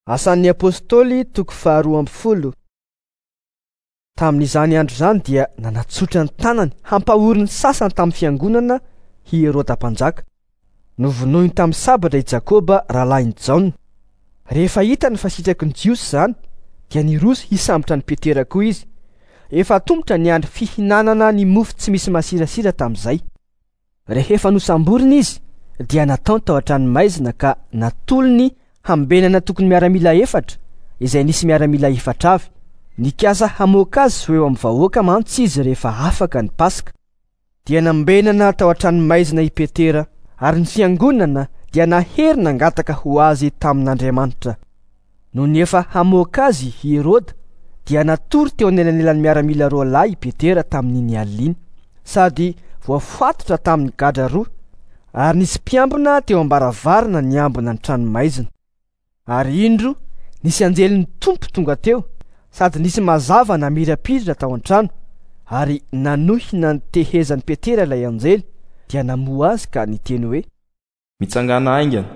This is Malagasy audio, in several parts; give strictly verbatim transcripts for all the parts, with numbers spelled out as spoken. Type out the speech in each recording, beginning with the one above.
Asan'ny Apostoly toko faharoa amby folo. Tamin'izany andro izany dia nanatsotra ny tanany hampahory ny sasany tamin'ny fiangonana i Heroda mpanjaka. Novonoiny tamin'ny sabatra i Jakoba rahalahin'i Jaona. Rehefa hitany fa sitraky ny Jiosy izany, dia niroso hisambotra an'i Petera koa izy. Efa atomotra ny andro fihinanana ny mofo tsy misy masirasira tamin'izay. Rehefa nosamborina izy, dia nataony tao an-tranomaizina ka natolony hambenana tokony miaramila efatra, izay nisy miaramila efatra avy. Nikasa hamoaka azy ho eo amin'ny vahoaka mantsy izy rehefa afaka ny Paska. Dia nambenana tao an-tranomaizina i Petera, ary ny fiangonana dia nahery nangataka ho azy tamin'Andriamanitra. Nony efa hamoaka azy i Heroda, dia natory teo anelanelan'ny miaramila roa lahy i Petera tamin'iny alina iny, sady voafatotra tamin'ny gadra roa, ary nisy mpiambina teo am-baravarana niambina ny tranomaizina. Ary indro nisy anjelin'ny Tompo tonga teo, sady nisy mazava namirapiratra tao an-trano, ary nanohina ny tehezan'i Petera ilay anjely, dia namoha azy ka niteny hoe: Mitsangàna haingana.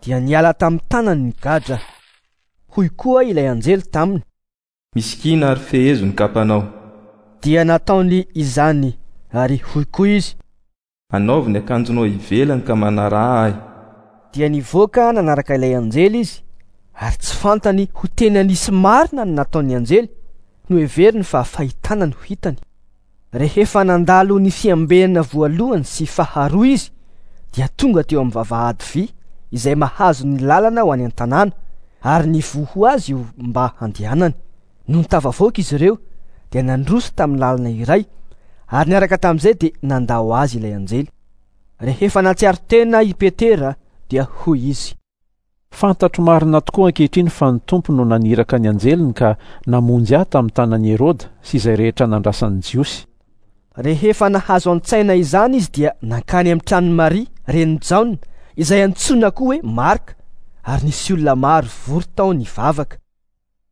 Dia niala tamin'ny tanany ny gadra. Hoy koa ilay anjely taminy: Misikina ary fehezo ny kapanao. Dia nataony izany, ary hoy koa izy: Anaovy ny akanjonao ivelany ka manaraha ahy. Dia nivoaka nanaraka ilay anjely izy, ary tsy fantany ho tena nisy marina ny nataon'ny anjely, noheveriny fa fahitana no hitany. Rehefa nandalo ny fiambenana voalohany sy faharoa izy, dia tonga teo amin'ny vavahady vy izay mahazo ny lalana ho any an-tanàna, ary nivoha ho azy io mba handehanany. Nony tafavoaka izy ireo, dia nandroso tamin'ny lalana iray, ary niaraka tamin'izay dia nandao azy ilay anjely. Rehefa nahatsiaro tena i Petera, dia hoy izy: Fantatro marina tokoa ankehitriny fa ny Tompo no naniraka ny anjeliny ka namonjy ahy tamin'ny tanan'i Heroda sy izay rehetra nandrasan'ny Jiosy. Rehefa nahazo an-tsaina izany izy dia nankany amin'ny tranon'i Maria, renin'i Jaona, izay antsoina koa hoe Marka, ary nisy olona maro vory tao nivavaka.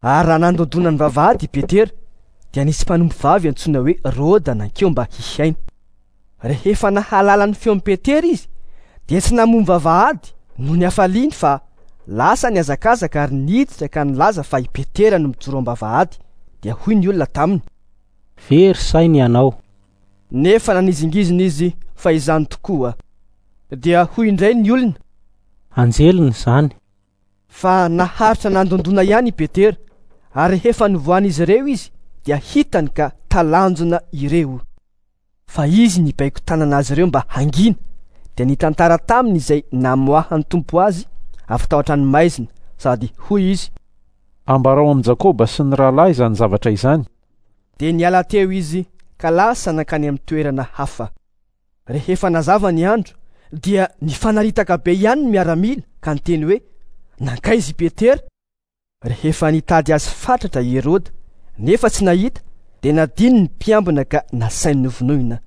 Ary raha nandondona ny vavahady i Petera, dia nisy mpanompo vavy antsoina hoe Roda nankeo mba hihaino. Rehefa nahalala ny feon'i Petera izy, dia tsy namoha ny vavahady noho ny hafaliany fa lasa nihazakazaka ary niditra ka nilaza fa i Petera no mijoro am-bavahady. Dia hoy ny olona taminy: Very saina ianao. Nefa nanizingizina izy fa izany tokoa. Dia hoy indray ny olona: Anjeliny izany. Fa naharitra nandondona ihany i Petera, ary rehefa novohan'izy ireo izy, dia hitany ka talanjona ireo. Fa izy nibaiko tanana azy ireo mba hangina, dia nitantara taminy izay namoahan'ny Tompo azy avy tao an-tranomaizina, sady hoy izy: Ambarao amin'i Jakoba sy ny rahalahy izany zavatra izany. Dia niala teo izy ka lasa nankany amin'ny toerana hafa. Rehefa nazava ny andro, dia nifanaritaka be ihany ny miaramila ka niteny hoe: Nankaiza i Petera? Rehefa nitady azy fatratra i Heroda, nefa tsy nahita, dia nadino ny mpiambina ka nasainy novonoina.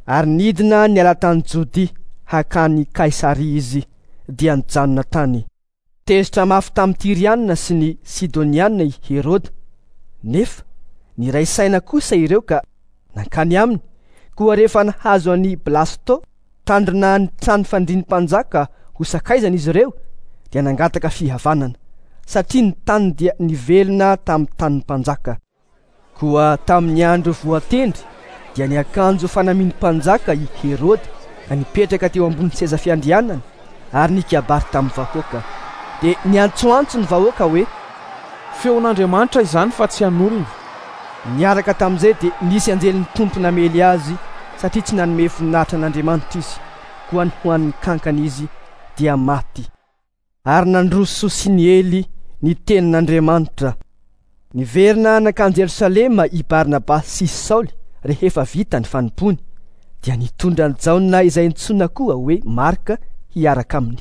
Ary nidina niala tany Jodia hakany Kaisaria izy, dia nijanona tany. Tezitra mafy tamin'ny Tyrianina sy ny Sidonianina i Heroda, nefa niray saina kosa ireo ka nankany aminy. Koa rehefa nahazo an'i Blasto, tandrina ny trano fandrian'ny mpanjaka ho sakaizana izy ireo, dia nangataka fihavanana, satria ny tany dia nivelona tamin'ny tanin'ny mpanjaka. Koa tamin'ny andro voatendry, dia niakanjo fanamian'ny mpanjaka i Heroda ka nipetraka teo ambony seza fiandrianana ary nikabary tamin'ny vahoaka. Dia niantsoantso ny vahoaka hoe: Feon'Andriamanitra izany fa tsy an'olona. Niaraka tamin'izay dia nisy anjelin'ny Tompo namely azy, satria tsy nanome voninahitra an'Andriamanitra izy, koa nohanin'ny kankana izy dia maty. Ary nandroso sy niely ny tenin'Andriamanitra. Niverina nankany Jerosalema i Barnabasy sy Saoly rehefa vita ny fanompoany, dia nitondra an'i Jaona izay antsoina koa hoe Marka hiaraka aminy.